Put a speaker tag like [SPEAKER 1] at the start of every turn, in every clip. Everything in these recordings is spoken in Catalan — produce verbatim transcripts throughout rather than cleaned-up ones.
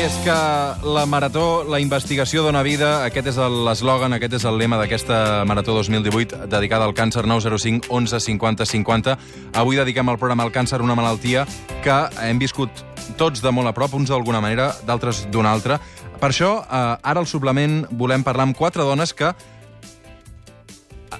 [SPEAKER 1] és que la marató, la investigació dona vida. Aquest és l'eslògan, aquest és el lema d'aquesta Marató dos mil divuit dedicada al càncer. Nou zero cinc onze cinquanta cinquanta. Avui dediquem el programa al càncer, una malaltia que hem viscut tots de molt a prop, uns d'alguna manera, d'altres d'una altra. Per això, eh, ara al suplement volem parlar amb quatre dones que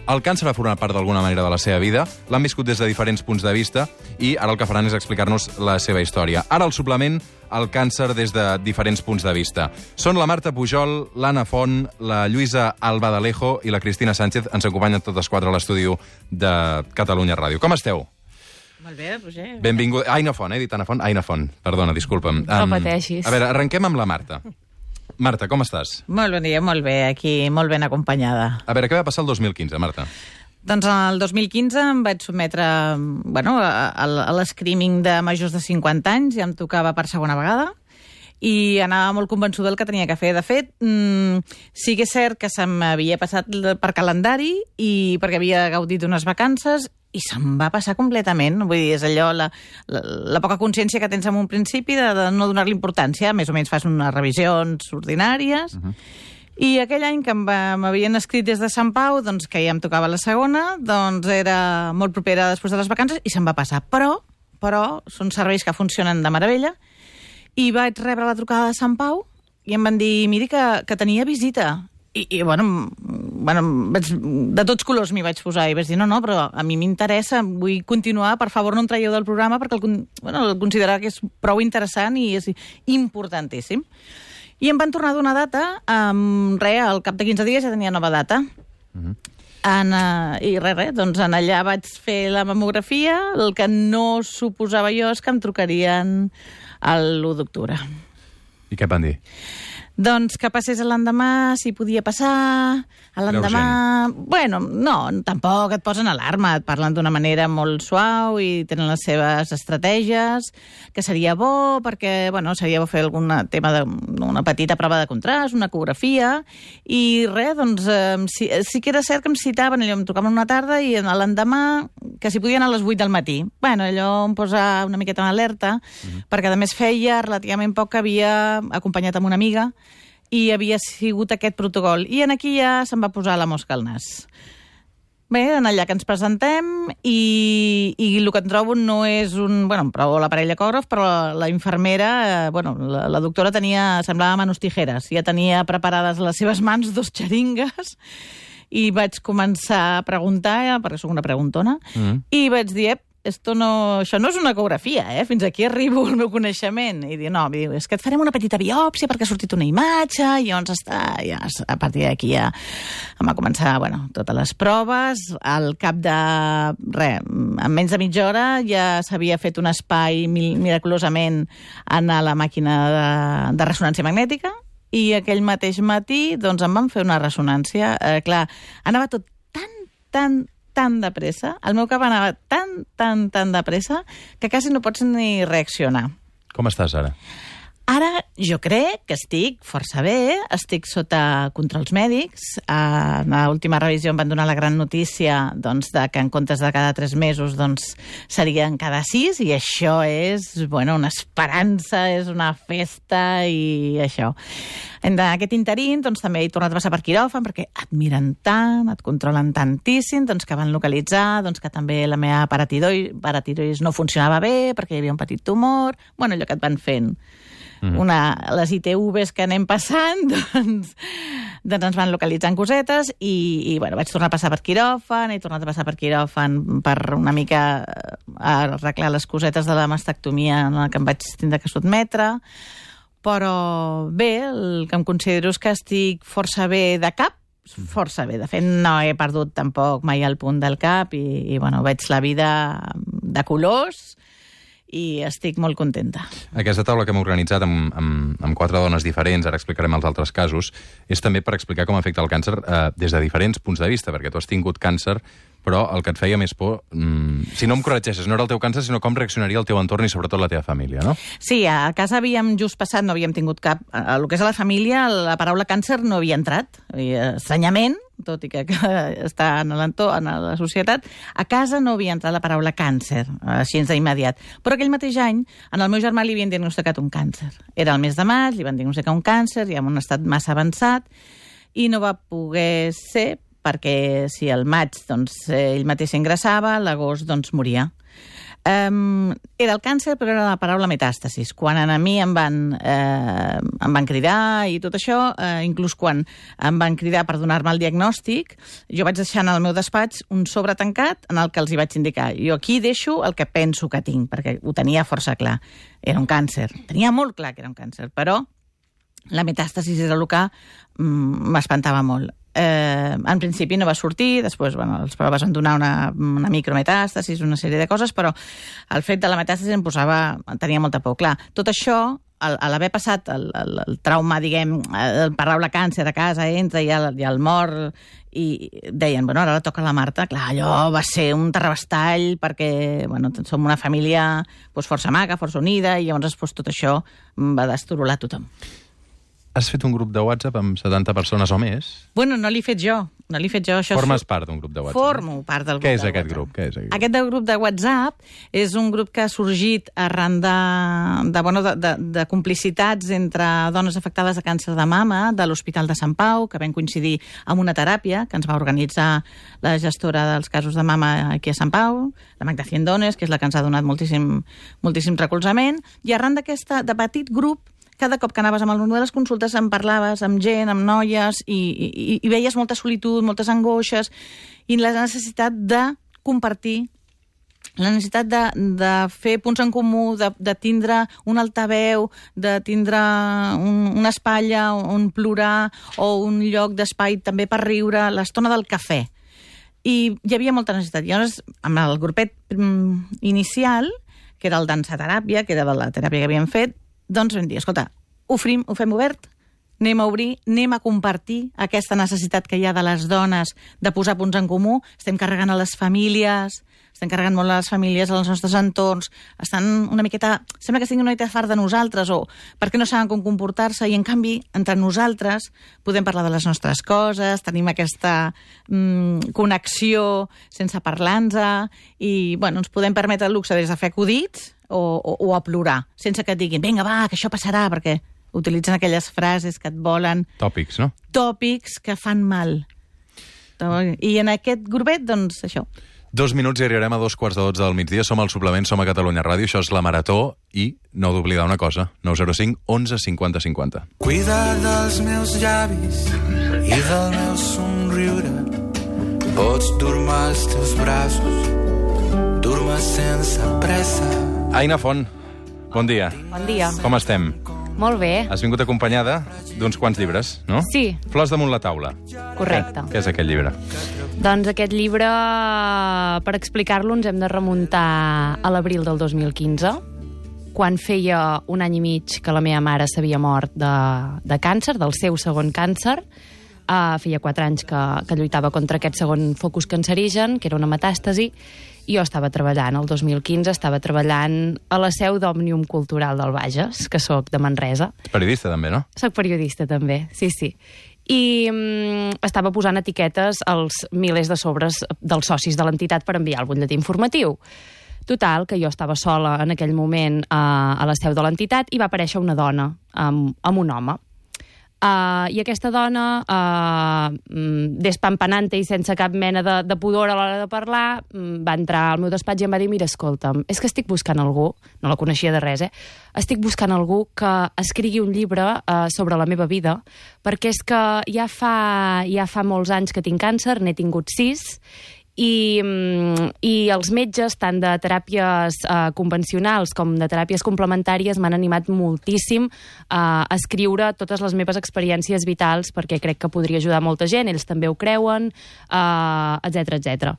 [SPEAKER 1] el càncer ha format part d'alguna manera de la seva vida, l'han viscut des de diferents punts de vista i ara el que faran és explicar-nos la seva història. Ara al suplement, el càncer des de diferents punts de vista. Són la Marta Pujol, l'Anna Font, la Lluïsa Albadalejo i la Cristina Sánchez. Ens acompanyen totes quatre a l'estudi de Catalunya Ràdio. Com esteu?
[SPEAKER 2] Molt bé, Roger.
[SPEAKER 1] Benvingut. Aina Font, he dit Anna Font? Aina Font, perdona, disculpa'm.
[SPEAKER 3] No
[SPEAKER 1] Um,
[SPEAKER 3] pateixis.
[SPEAKER 1] A veure, arrenquem amb la Marta. Marta, com estàs?
[SPEAKER 2] Molt bon dia, molt bé, aquí molt ben acompanyada.
[SPEAKER 1] A veure, què va passar el dos mil quinze, Marta?
[SPEAKER 2] Doncs el dos mil quinze em vaig sotmetre bueno, a, a l'escreening de majors de cinquanta anys, ja em tocava per segona vegada, i anava molt convençuda del que tenia que fer. De fet, mmm, sí que és cert que se m'havia passat per calendari i perquè havia gaudit d'unes vacances i se'm va passar completament. Vull dir, és allò, la, la, la poca consciència que tens en un principi de, de no donar-li importància. Més o menys fas unes revisions ordinàries. Uh-huh. I aquell any que m'havien escrit des de Sant Pau, doncs, que ja em tocava la segona, doncs era molt propera després de les vacances i se'm va passar. Però, però són serveis que funcionen de meravella i vaig rebre la trucada de Sant Pau i em van dir, miri, que, que tenia visita. I, i bueno, bueno vaig, de tots colors m'hi vaig posar i vaig dir, no, no, però a mi m'interessa, vull continuar, per favor no em traieu del programa perquè el, bueno, el considerar que és prou interessant i és importantíssim. I em van tornar a donar data, um, res, al cap de quinze dies ja tenia nova data. Uh-huh. En, uh, I res, res, doncs en allà vaig fer la mamografia, el que no suposava jo és que em trucarien l'u d'octubre.
[SPEAKER 1] I què et van dir?
[SPEAKER 2] Doncs que passés l'endemà, si podia passar, l'endemà... Bueno, no, tampoc et posen alarma, et parlen d'una manera molt suau i tenen les seves estratègies, que seria bo perquè, bueno, seria bo fer algun tema d'una petita prova de contrast, una ecografia, i res, doncs, eh, sí, sí que era cert que em citaven, allò em trucaven una tarda i l'endemà, que si podien a les vuit del matí. Bueno, allò em posa una miqueta en alerta, uh-huh. perquè a més feia relativament poc que havia acompanyat amb una amiga i havia sigut aquest protocol. I en aquí ja se'm va posar la mosca al nas. Bé, en allà que ens presentem i, i el que em trobo no és un... Bueno, em provo l'aparell ecògraf, però la, la infermera, eh, bueno, la, la doctora tenia, semblava manos tijeres, ja tenia preparades les seves mans dos xeringues i vaig començar a preguntar, perquè soc una preguntona, mm. i vaig dir, esto no, això no és una ecografia, eh? Fins aquí arribo al meu coneixement. I diu, no, diu, és que et farem una petita biòpsia perquè ha sortit una imatge, i llavors està, ja, a partir d'aquí ja em va començar, bueno, totes les proves. Al cap de, res, en menys de mitja hora ja s'havia fet un espai miraculosament en la màquina de, de ressonància magnètica, i aquell mateix matí, doncs, em van fer una ressonància. Eh, clar, anava tot tan, tan, tan de pressa, el meu cap anava tan, tan, tan de pressa, que quasi no pots ni reaccionar.
[SPEAKER 1] Com estàs ara?
[SPEAKER 2] Ara jo crec que estic força bé, estic sota controls mèdics. A l'última revisió em van donar la gran notícia doncs, de que en comptes de cada tres mesos doncs, serien cada sis, i això és bueno, una esperança, és una festa i això. En aquest interín doncs, també he tornat a passar per quiròfan perquè et miren tant, et controlen tantíssim, doncs, que van localitzar doncs, que també la meva paratirois, paratirois no funcionava bé perquè hi havia un petit tumor, bueno, allò que et van fent. Una, les I T Vs que anem passant, doncs, doncs ens van localitzant cosetes i, i bueno, vaig tornar a passar per quiròfan, he tornat a passar per quiròfan per una mica arreglar les cosetes de la mastectomia en la que em vaig tindre que sotmetre, però bé, el que em considero és que estic força bé de cap, força bé. De fet, no he perdut tampoc mai el punt del cap i, i bueno, veig la vida de colors i estic molt contenta.
[SPEAKER 1] Aquesta taula que hem organitzat amb, amb, amb quatre dones diferents, ara explicarem els altres casos, és també per explicar com afecta el càncer eh, des de diferents punts de vista, perquè tu has tingut càncer, però el que et feia més por, mmm, si no em corregeixes, no era el teu càncer, sinó com reaccionaria el teu entorn i sobretot la teva família, no?
[SPEAKER 2] Sí, a casa havíem just passat, no havíem tingut cap... A el que és a la família, la paraula càncer no havia entrat. Estranyament, tot i que, que està en l'entorn, en la societat, a casa no havia entrat la paraula càncer, així d'immediat. Però aquell mateix any, en el meu germà li havien diagnosticat un càncer. Era el mes de maig, li van diagnosticar un càncer, ja en un estat massa avançat, i no va poder ser perquè si al maig doncs, ell mateix s'ingressava, a l'agost doncs, moria. Um, era el càncer, però era la paraula metàstasis. Quan a mi em van, eh, em van cridar i tot això, eh, inclús quan em van cridar per donar-me el diagnòstic, jo vaig deixar en el meu despatx un sobre tancat en el que els hi vaig indicar. Jo aquí deixo el que penso que tinc, perquè ho tenia força clar. Era un càncer. Tenia molt clar que era un càncer, però la metàstasis era el que mm, m'espantava molt. Eh, en principi no va sortir, després bueno, les proves van donar una, una micrometàstasis, una sèrie de coses, però el fet de la metàstasis em posava, tenia molta por. Clar, tot això, al, a l'haver passat el, el, el trauma, diguem, el paraula càncer a casa, entra i el, i el mort, i deien, bueno, ara la toca la Marta. Clar, allò va ser un terrabastall perquè, bueno, som una família doncs, força maca, força unida, i llavors doncs, tot això va destorular tothom.
[SPEAKER 1] Has fet un grup de WhatsApp amb setanta persones o més?
[SPEAKER 2] Bueno, no l'he fet jo. No l'he fet jo. Això
[SPEAKER 1] Formes part d'un grup de WhatsApp?
[SPEAKER 2] Formo part del grup
[SPEAKER 1] Què és
[SPEAKER 2] de
[SPEAKER 1] aquest
[SPEAKER 2] WhatsApp.
[SPEAKER 1] grup? Què és aquest grup?
[SPEAKER 2] Aquest del grup de WhatsApp és un grup que ha sorgit arran de, de, bueno, de, de, de complicitats entre dones afectades de càncer de mama de l'Hospital de Sant Pau, que vam coincidir amb una teràpia que ens va organitzar la gestora dels casos de mama aquí a Sant Pau, la Magda Ciendones, que és la que ens ha donat moltíssim, moltíssim recolzament, i arran d'aquesta de petit grup, cada cop que anaves amb el món de les consultes en parlaves amb gent, amb noies, i, i, i veies molta solitud, moltes angoixes, i la necessitat de compartir, la necessitat de, de fer punts en comú, de, de tindre un altaveu, de tindre un, una espatlla on plorar, o un lloc d'espai també per riure, l'estona del cafè. I hi havia molta necessitat. Llavors, amb el grupet mm, inicial, que era el dansateràpia, que era de la teràpia que havíem fet, doncs vam dir, escolta, ho fem, ho fem obert, anem a obrir, anem a compartir aquesta necessitat que hi ha de les dones de posar punts en comú. Estem carregant a les famílies, estem carregant molt a les famílies, als nostres entorns, estan una miqueta, sembla que estiguin una miqueta fart de nosaltres, o perquè no saben com comportar-se, i en canvi, entre nosaltres, podem parlar de les nostres coses, tenim aquesta mm, connexió sense parlar-nos, i bueno, ens podem permetre el luxe des de fer acudits, O, o, o a plorar, sense que et diguin vinga, va, que això passarà, perquè utilitzen aquelles frases que et volen...
[SPEAKER 1] Tòpics, no?
[SPEAKER 2] Tòpics que fan mal. I en aquest grupet, doncs, això.
[SPEAKER 1] Dos minuts i arribarem a dos quarts de dotze del migdia. Som al suplement, som a Catalunya Ràdio, això és la Marató, i no heu d'oblidar una cosa, nou zero cinc, onze, cinquanta, cinquanta.
[SPEAKER 3] Cuida dels meus llavis i del meu somriure. Pots dur-me als teus braços, dur-me sense pressa.
[SPEAKER 1] Aina Font, bon dia.
[SPEAKER 4] Bon dia.
[SPEAKER 1] Com estem?
[SPEAKER 4] Molt bé.
[SPEAKER 1] Has vingut acompanyada d'uns quants llibres, no?
[SPEAKER 4] Sí.
[SPEAKER 1] Flors damunt la taula.
[SPEAKER 4] Correcte.
[SPEAKER 1] Què, què és aquest llibre?
[SPEAKER 4] Doncs aquest llibre, per explicar-lo, ens hem de remuntar a l'abril del dos mil quinze, quan feia un any i mig que la meva mare s'havia mort de, de càncer, del seu segon càncer. Uh, feia quatre anys que, que lluitava contra aquest segon focus cancerigen, que era una metàstasi, i jo estava treballant, el dos mil quinze, estava treballant a la seu d'Òmnium Cultural del Bages, que sóc de Manresa.
[SPEAKER 1] Ets periodista, també, no?
[SPEAKER 4] Soc periodista, també, sí, sí. I um, estava posant etiquetes als milers de sobres dels socis de l'entitat per enviar el butlletí informatiu. Total, que jo estava sola en aquell moment uh, a la seu de l'entitat i va aparèixer una dona amb, amb un home. Uh, I aquesta dona, uh, despampanante i sense cap mena de, de pudor a l'hora de parlar, va entrar al meu despatx i em va dir, mira, escolta'm, és que estic buscant algú, no la coneixia de res, eh? Estic buscant algú que escrigui un llibre uh, sobre la meva vida, perquè és que ja fa, ja fa molts anys que tinc càncer, n'he tingut sis, I, i els metges, tant de teràpies eh, convencionals com de teràpies complementàries, m'han animat moltíssim eh, a escriure totes les meves experiències vitals, perquè crec que podria ajudar molta gent, ells també ho creuen, eh, etcètera, etcètera.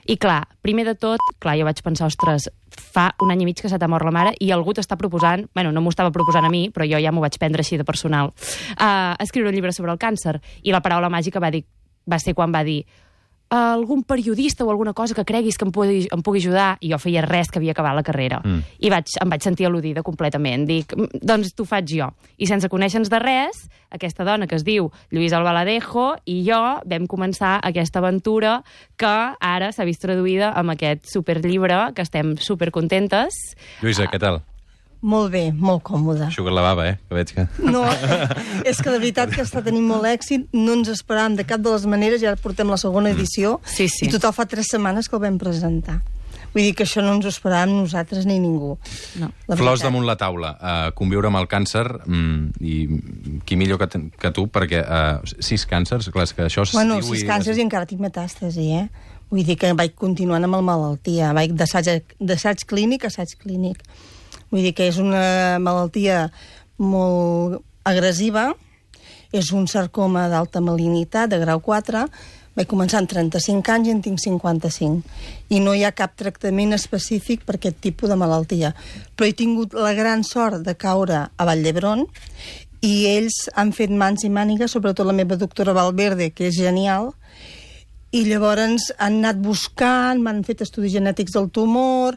[SPEAKER 4] I clar, primer de tot, clar, jo vaig pensar, ostres, fa un any i mig que se t'ha mort la mare i algú t'està proposant, bueno, no m'ho estava proposant a mi, però jo ja m'ho vaig prendre així de personal, eh, escriure un llibre sobre el càncer. I la paraula màgica va dir, va ser quan va dir, algun periodista o alguna cosa que creguis que em pugui, em pugui ajudar, i jo feia res que havia acabat la carrera. Mm. I vaig, em vaig sentir al·ludida completament. Dic, doncs t'ho faig jo. I sense conèixer-nos de res, aquesta dona que es diu Lluïsa Albaladejo i jo vam començar aquesta aventura que ara s'ha vist traduïda amb aquest superllibre, que estem supercontentes.
[SPEAKER 1] Lluïsa, què tal?
[SPEAKER 5] Molt bé, molt còmode.
[SPEAKER 1] Xuga la bava, eh? Que veig que...
[SPEAKER 5] No, és que de veritat que està tenint molt èxit, no ens esperàvem de cap de les maneres, i ara portem la segona edició,
[SPEAKER 4] sí, sí.
[SPEAKER 5] I total fa tres setmanes que el vam presentar. Vull dir que això no ens ho esperàvem nosaltres ni ningú.
[SPEAKER 4] No.
[SPEAKER 1] Flors damunt la taula. Uh, conviure amb el càncer, mm, i qui millor que, que tu, perquè uh, sis càncers, clar, és que això...
[SPEAKER 5] Bueno, sis i... càncers i encara tinc metàstasi, eh? Vull dir que vaig continuant amb la malaltia, vaig d'assaig clínic a assaig clínic. Vull dir que és una malaltia molt agressiva, és un sarcoma d'alta malignitat, de grau quatre, vaig començar amb trenta-cinc anys i en tinc cinquanta-cinc. I no hi ha cap tractament específic per aquest tipus de malaltia. Però he tingut la gran sort de caure a Vall d'Hebron i ells han fet mans i mànigues, sobretot la meva doctora Valverde, que és genial, i llavors han anat buscant, m'han fet estudis genètics del tumor,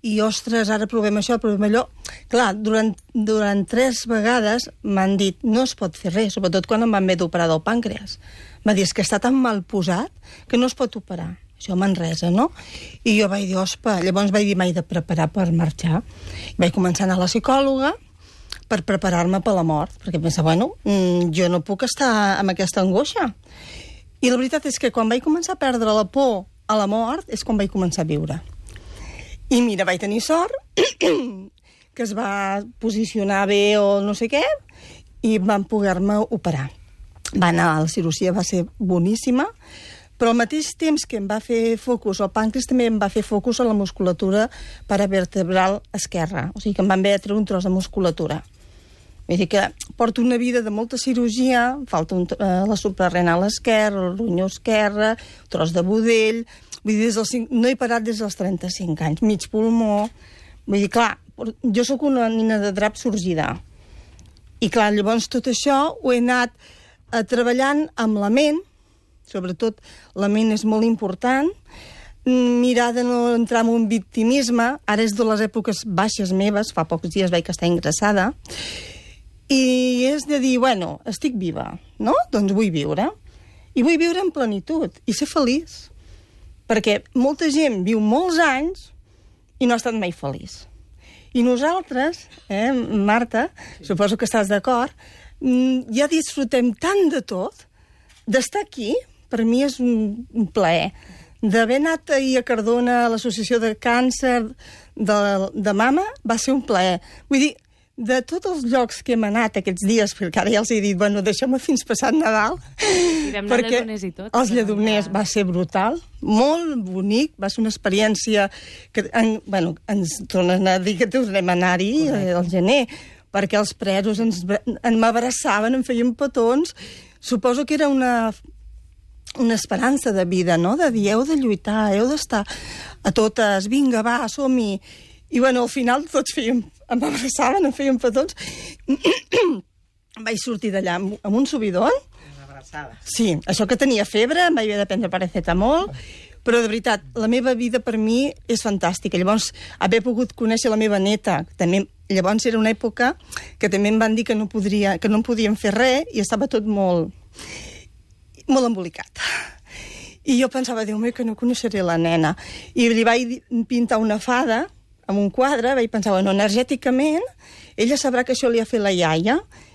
[SPEAKER 5] i, ostres, ara provem això, provem allò. Clar, durant, durant tres vegades m'han dit, no es pot fer res, sobretot quan em van haver d'operar del pàncreas. M'ha dit, és que està tan mal posat que no es pot operar. Això a Manresa, no? I jo vaig dir, ospa, llavors vaig dir, m'he de preparar per marxar. I vaig començar a anar a la psicòloga per preparar-me per la mort, perquè pensava, bueno, jo no puc estar amb aquesta angoixa. I la veritat és que quan vaig començar a perdre la por a la mort és quan vaig començar a viure. I mira, vaig tenir sort, que es va posicionar bé o no sé què, i van poder-me operar. Va anar, la cirurgia va ser boníssima, però al mateix temps que em va fer focus al pàncreas, també em va fer focus a la musculatura paravertebral esquerra. O sigui que em van haver de treure un tros de musculatura. Vull dir que porto una vida de molta cirurgia, falta un, eh, la suprarrenal esquerra, el ronyó esquerre, tros de budell... Vull dir, des dels cinc, no he parat des dels trenta-cinc anys, mig pulmó. Vull dir, clar, jo sóc una nina de drap sorgida. I clar, llavors tot això ho he anat eh, treballant amb la ment, sobretot la ment és molt important, mirar de no entrar en un victimisme, ara és de les èpoques baixes meves, fa pocs dies vaig estar ingressada, i és de dir, bueno, estic viva, no? Doncs vull viure. I vull viure en plenitud, i ser feliç. Perquè molta gent viu molts anys i no ha estat mai feliç. I nosaltres, eh, Marta, suposo que estàs d'acord, ja disfrutem tant de tot, d'estar aquí, per mi és un, un plaer. D'haver anat ahir a Cardona a l'Associació de Càncer de, de Mama, va ser un plaer. Vull dir, de tots els llocs que hem anat aquests dies, perquè ara ja els he dit, bueno, deixeu-me fins passat Nadal, perquè
[SPEAKER 4] i tot,
[SPEAKER 5] els lledoners va ser brutal, molt bonic, va ser una experiència que en, bueno, ens tornen a dir que tornem a anar-hi al gener, perquè els presos ens, en m'abraçaven, em feien petons. Suposo que era una, una esperança de vida, no? De dir, heu de lluitar, heu d'estar a totes, vinga, va, som-hi. I, bueno, al final tots fèiem, em abraçaven, em feien petons. Vaig sortir d'allà amb, amb un subidon. Una abraçada. Sí, això que tenia febre, em vaig haver de prendre paracetamol, però de veritat, la meva vida per mi és fantàstica. Llavors, haver pogut conèixer la meva neta, també, llavors era una època que també em van dir que no, podria, que no em podien fer res i estava tot molt, molt embolicat. I jo pensava, Déu meu, que no coneixeré la nena. I li vaig pintar una fada amb un quadre, vaig pensar, bueno, energèticament, ella sabrà que això li ha fet la iaia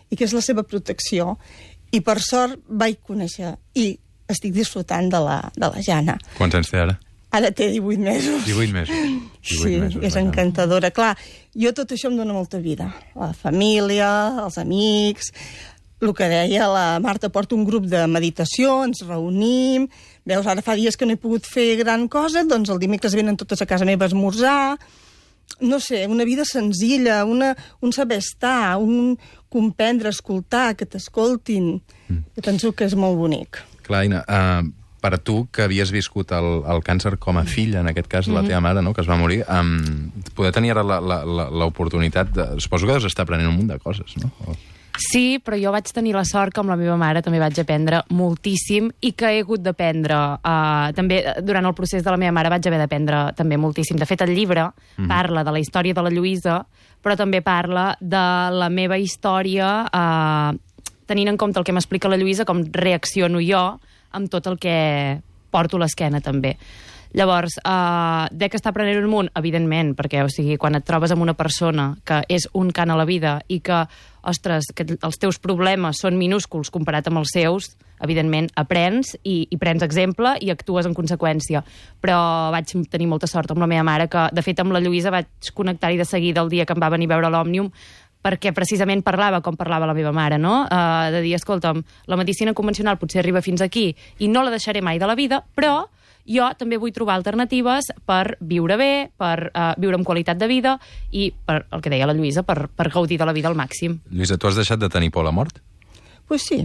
[SPEAKER 5] i que és la seva protecció. I per sort vaig conèixer i estic disfrutant de la, de la Jana.
[SPEAKER 1] Quants anys té ara?
[SPEAKER 5] Ara té divuit mesos.
[SPEAKER 1] divuit mesos. divuit
[SPEAKER 5] sí,
[SPEAKER 1] mesos,
[SPEAKER 5] és encantadora. Clar, jo tot això em dona molta vida. La família, els amics, el que deia la Marta, porta un grup de meditació, ens reunim, veus, ara fa dies que no he pogut fer gran cosa, doncs el dimecres venen totes a casa meva a esmorzar, no sé, una vida senzilla, una, un saber estar, un comprendre, escoltar, que t'escoltin. Mm. Jo penso que és molt bonic.
[SPEAKER 1] Clar, Ina, uh, per tu, que havies viscut el, el càncer com a filla, en aquest cas, mm-hmm. la teva mare, no?, que es va morir, um, poder tenir ara l'oportunitat de... Suposo que has d'estar aprenent un munt de coses, no? O...
[SPEAKER 4] Sí, però jo vaig tenir la sort que amb la meva mare també vaig aprendre moltíssim i que he hagut d'aprendre uh, també durant el procés de la meva mare vaig haver d'aprendre també moltíssim. De fet, el llibre mm. parla de la història de la Lluïsa, però també parla de la meva història uh, tenint en compte el que m'explica la Lluïsa, com reacciono jo amb tot el que porto a l'esquena també. Llavors, uh, de que està prenent un munt, evidentment, perquè o sigui, quan et trobes amb una persona que és un cant a la vida i que, ostres, que els teus problemes són minúsculs comparat amb els seus, evidentment, aprens i, i prens exemple i actues en conseqüència. Però vaig tenir molta sort amb la meva mare, que, de fet, amb la Lluïsa vaig connectar-hi de seguida el dia que em va venir a veure l'Òmnium, perquè precisament parlava com parlava la meva mare, no? Uh, de dir, escolta'm, la medicina convencional potser arriba fins aquí i no la deixaré mai de la vida, però jo també vull trobar alternatives per viure bé, per uh, viure amb qualitat de vida i, per el que deia la Lluïsa, per, per gaudir de la vida al màxim.
[SPEAKER 1] Lluïsa, tu has deixat de tenir por a la mort?
[SPEAKER 5] Pues sí.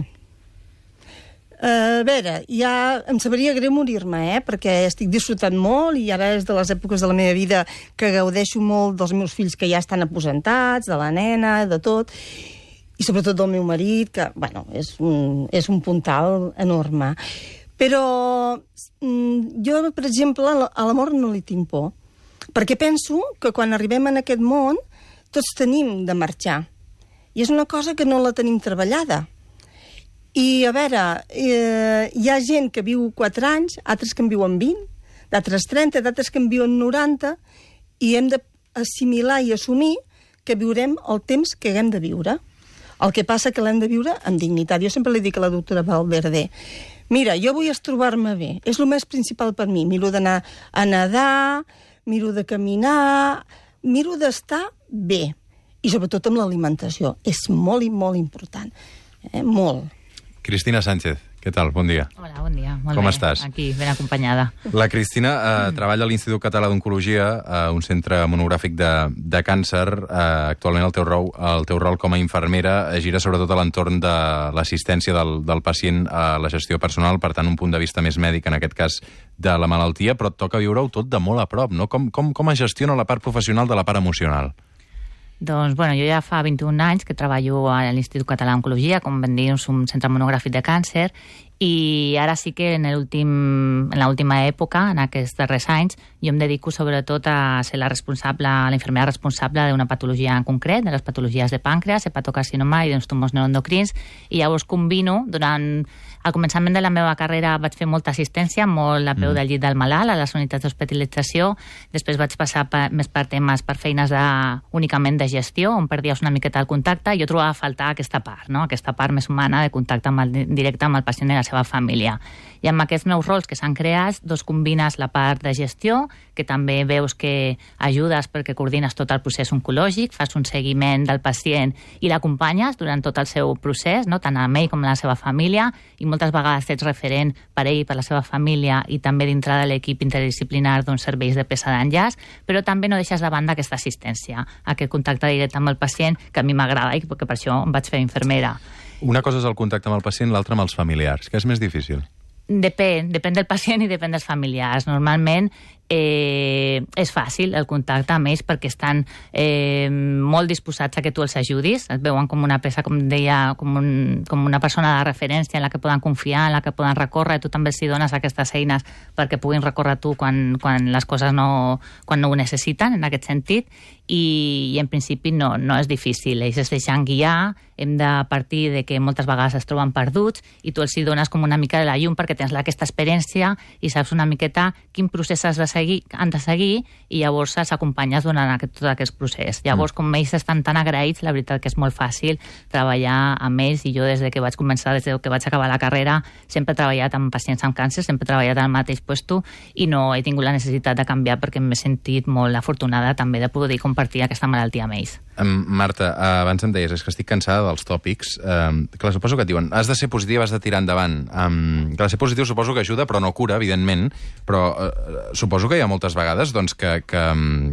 [SPEAKER 5] Uh, a veure, ja em sabria greu morir-me, eh? Perquè estic disfrutant molt i ara és de les èpoques de la meva vida que gaudeixo molt dels meus fills que ja estan aposentats, de la nena, de tot, i sobretot del meu marit, que, bueno, és un, és un puntal enorme. Però jo, per exemple, a l'amor no li tinc por, perquè penso que quan arribem en aquest món tots tenim de marxar. I és una cosa que no la tenim treballada. I, a veure, eh, hi ha gent que viu quatre anys, altres que en viuen vint, d'altres trenta, d'altres que en viuen noranta, i hem d'assimilar i assumir que viurem el temps que haguem de viure. El que passa que l'hem de viure amb dignitat. Jo sempre li dic a la doctora Valverde, mira, jo vull trobar-me bé, és el més principal per mi. Miro d'anar a nedar, miro de caminar, miro d'estar bé. I sobretot amb l'alimentació. És molt i molt important. Eh? Molt.
[SPEAKER 1] Cristina Sánchez, què tal? Bon dia.
[SPEAKER 6] Hola, bon dia. Molt
[SPEAKER 1] Com
[SPEAKER 6] bé.
[SPEAKER 1] estàs?
[SPEAKER 6] Aquí, ben acompanyada.
[SPEAKER 1] La Cristina eh, mm. treballa a l'Institut Català d'Oncologia, eh, un centre monogràfic de, de càncer. Eh, actualment el teu, rol, el teu rol com a infermera eh, gira sobretot a l'entorn de l'assistència del, del pacient a la gestió personal, per tant, un punt de vista més mèdic, en aquest cas, de la malaltia, però et toca viure-ho tot de molt a prop, no? Com, com, com es gestiona la part professional de la part emocional?
[SPEAKER 6] Doncs, bueno, jo ja fa vint-i-un anys que treballo a l'Institut Català d'Oncologia, com vam dir, és un centre monogràfic de càncer, i ara sí que en l'última època, en aquests darrers anys, jo em dedico sobretot a ser la responsable, la infermera responsable d'una patologia en concret, de les patologies de pàncreas, hepatocarcinoma i d'uns tumors neuroendocrins, i llavors combino, durant al començament de la meva carrera vaig fer molta assistència, molt a peu del llit del malalt, a les unitats d'hospitalització, després vaig passar per, més per temes, per feines de, únicament de gestió, on perdies una miqueta el contacte, i jo trobava a faltar aquesta part, no? Aquesta part més humana de contacte amb el, directe amb el pacient i la seva família. I amb aquests nous rols que s'han creat, doncs combines la part de gestió, que també veus que ajudes perquè coordines tot el procés oncològic, fas un seguiment del pacient i l'acompanyes durant tot el seu procés, no? Tant a ell com a la seva família, i moltes vegades ets referent per ell i per la seva família i també dintre de l'equip interdisciplinar d'uns serveis de peça d'enllaç, però també no deixes de banda aquesta assistència, aquest contacte directe amb el pacient, que a mi m'agrada i perquè per això em vaig fer infermera.
[SPEAKER 1] Una cosa és el contacte amb el pacient, l'altra amb els familiars. Què és més difícil?
[SPEAKER 6] Depèn, depèn del pacient i depèn dels familiars. Normalment eh, és fàcil el contacte amb ells perquè estan eh, molt disposats a que tu els ajudis. Et veuen com una peça, com deia, com, un, com una persona de referència en la que poden confiar, en la que poden recórrer, i tu també els dones aquestes eines perquè puguin recórrer tu quan, quan les coses no, quan no ho necessiten, en aquest sentit, i, i en principi no, no és difícil. Ells es deixen guiar, hem de partir de que moltes vegades es troben perduts i tu els dones com una mica de la llum perquè tens aquesta experiència i saps una miqueta quin procés has de seguir, han de seguir, i llavors els acompanyes durant aquest, tot aquest procés. Llavors, com ells estan tan agraïts, la veritat que és molt fàcil treballar amb ells, i jo des de que vaig començar, des de que vaig acabar la carrera, sempre he treballat amb pacients amb càncer, sempre he treballat al mateix puesto i no he tingut la necessitat de canviar perquè m'he sentit molt afortunada també de poder compartir aquesta malaltia amb ells.
[SPEAKER 1] Um, Marta, uh, abans em deies, és que estic cansada dels tòpics. Um, clar, suposo que et diuen, has de ser positiu, has de tirar endavant. Um, clar, ser positiu suposo que ajuda, però no cura, evidentment, però uh, suposo que hi ha moltes vegades doncs, que, que,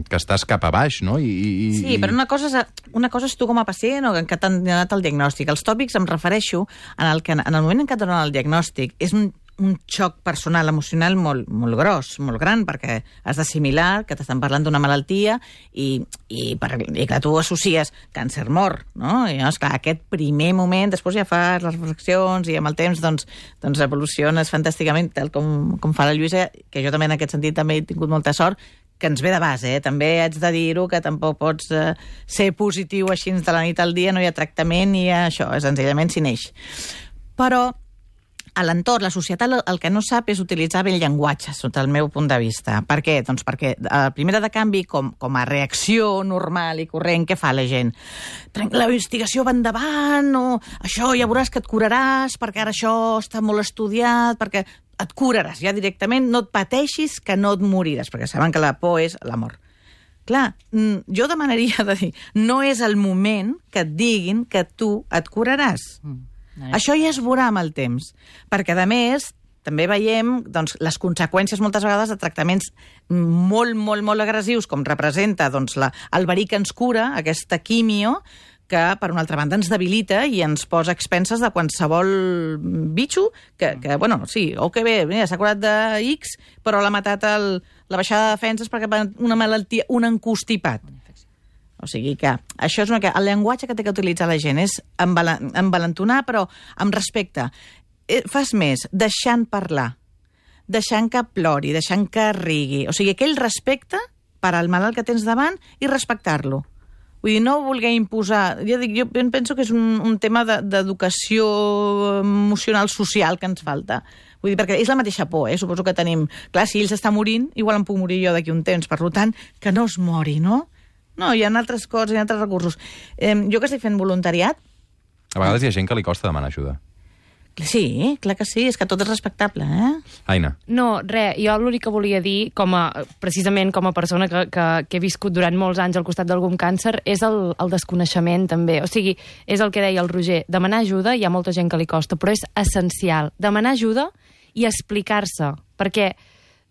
[SPEAKER 1] que estàs cap a baix, no? I, i,
[SPEAKER 2] sí, però una cosa, és, una cosa és tu com a pacient o que t'han donat el diagnòstic. Els tòpics em refereixo en el, que, en el moment en què et donen el diagnòstic. És un, un xoc personal, emocional molt, molt gros, molt gran, perquè has d'assimilar que t'estan parlant d'una malaltia i, i, per, i que tu associes càncer-mort, no? I llavors, clar, aquest primer moment, després ja fas les reflexions i amb el temps doncs, doncs evoluciones fantàsticament, tal com, com fa la Lluïsa, que jo també en aquest sentit també he tingut molta sort, que ens ve de base, eh? També haig de dir-ho, que tampoc pots eh, ser positiu així de la nit al dia, no hi ha tractament ni hi ha això, senzillament s'hi neix. Però a l'entorn, la societat el que no sap és utilitzar bé el llenguatge, sota el meu punt de vista. Per què? Doncs perquè a la primera de canvi, com, com a reacció normal i corrent, què fa la gent? La investigació va endavant, o això ja veuràs que et curaràs, perquè ara això està molt estudiat, perquè et curaràs ja directament, no et pateixis que no et moriràs, perquè saben que la por és la mort. Clar, jo demanaria de dir, no és el moment que et diguin que tu et curaràs. Mm. Això ja es veurà amb el temps, perquè, a més, també veiem doncs, les conseqüències moltes vegades de tractaments molt, molt, molt agressius, com representa doncs, la, el verí que ens cura, aquesta quimio, que, per una altra banda, ens debilita i ens posa expenses de qualsevol bitxo, que, que bueno, sí, o que bé, s'ha curat de X, però l'ha matat el, la baixada de defenses perquè una malaltia, un encostipat. O sigui que això és una... El llenguatge que té que utilitzar la gent és envalentonar, però amb respecte. Fas més, deixant parlar, deixant que plori, deixant que rigui. O sigui, aquell respecte per al malalt que tens davant i respectar-lo. Vull dir, no voler imposar... Jo, dic, jo penso que és un, un tema d'educació emocional social que ens falta. Vull dir, perquè és la mateixa por, eh? Suposo que tenim... Clar, si ell s'està morint, igual em puc morir jo d'aquí un temps. Per tant, que no es mori, no? No, hi ha altres coses, hi ha altres recursos. Eh, jo que estic fent voluntariat...
[SPEAKER 1] A vegades hi ha gent que li costa demanar ajuda.
[SPEAKER 2] Sí, clar que sí, és que tot és respectable, eh?
[SPEAKER 1] Aina.
[SPEAKER 4] No, res, jo l'únic que volia dir, com a, precisament com a persona que, que, que he viscut durant molts anys al costat d'algun càncer, és el, el desconeixement, també. O sigui, és el que deia el Roger, demanar ajuda, hi ha molta gent que li costa, però és essencial. Demanar ajuda i explicar-se, perquè...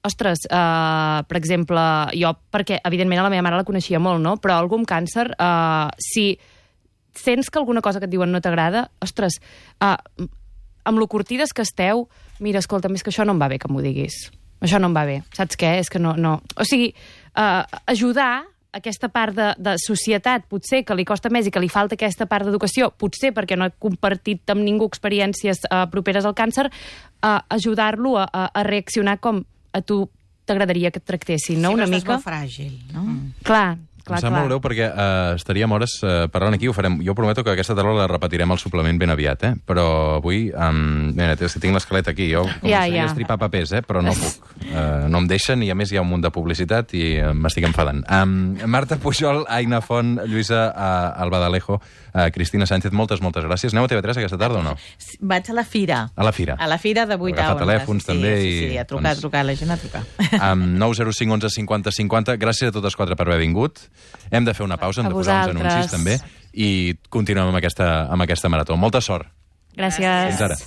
[SPEAKER 4] Ostres, uh, per exemple, jo, perquè evidentment a la meva mare la coneixia molt, no? Però algun càncer, uh, si sents que alguna cosa que et diuen no t'agrada, ostres, uh, amb lo curtides que esteu, mira, escolta, és que això no em va bé que m'ho diguis. Això no em va bé. Saps què? És que no... no. O sigui, uh, ajudar aquesta part de, de societat, potser que li costa més i que li falta aquesta part d'educació, potser perquè no he compartit amb ningú experiències uh, properes al càncer, uh, ajudar-lo a, a, a reaccionar com a tu t'agradaria que et tractessin, no?
[SPEAKER 2] Sí,
[SPEAKER 4] una
[SPEAKER 2] però
[SPEAKER 4] mica.
[SPEAKER 2] estàs molt fràgil, no? Mm.
[SPEAKER 4] Clar, clar,
[SPEAKER 1] em sap
[SPEAKER 4] clar.
[SPEAKER 1] molt greu perquè uh, estaríem hores uh, parlant aquí, ho farem. Jo prometo que aquesta tarda la repetirem al suplement ben aviat, eh? Però avui, um, mira, tinc l'esquelet aquí, jo
[SPEAKER 4] Ja,
[SPEAKER 1] començaria
[SPEAKER 4] ja.
[SPEAKER 1] a estripar papers, eh? Però no puc. Uh, no em deixen i a més hi ha un munt de publicitat i uh, m'estic enfadant. Um, Marta Pujol, Aina Font, Lluïsa uh, Albadalejo, uh, Cristina Sánchez, moltes, moltes gràcies. Aneu a T V tres aquesta tarda o no?
[SPEAKER 2] Vaig a la fira.
[SPEAKER 1] A la fira.
[SPEAKER 2] A la fira de vuit a
[SPEAKER 1] Agafar
[SPEAKER 2] onze.
[SPEAKER 1] telèfons,
[SPEAKER 2] sí,
[SPEAKER 1] també,
[SPEAKER 2] Sí, sí,
[SPEAKER 1] i,
[SPEAKER 2] a trucar,
[SPEAKER 1] doncs-
[SPEAKER 2] a trucar, la gent a trucar.
[SPEAKER 1] Um, nou zero cinc onze cinquanta cinquanta. Gràcies a totes quatre per haver vingut. Hem de fer una pausa, hem
[SPEAKER 4] A
[SPEAKER 1] de posar uns
[SPEAKER 4] vosaltres.
[SPEAKER 1] anuncis també i continuem amb aquesta, amb aquesta marató. Molta sort.
[SPEAKER 4] Gràcies.
[SPEAKER 1] Fins ara.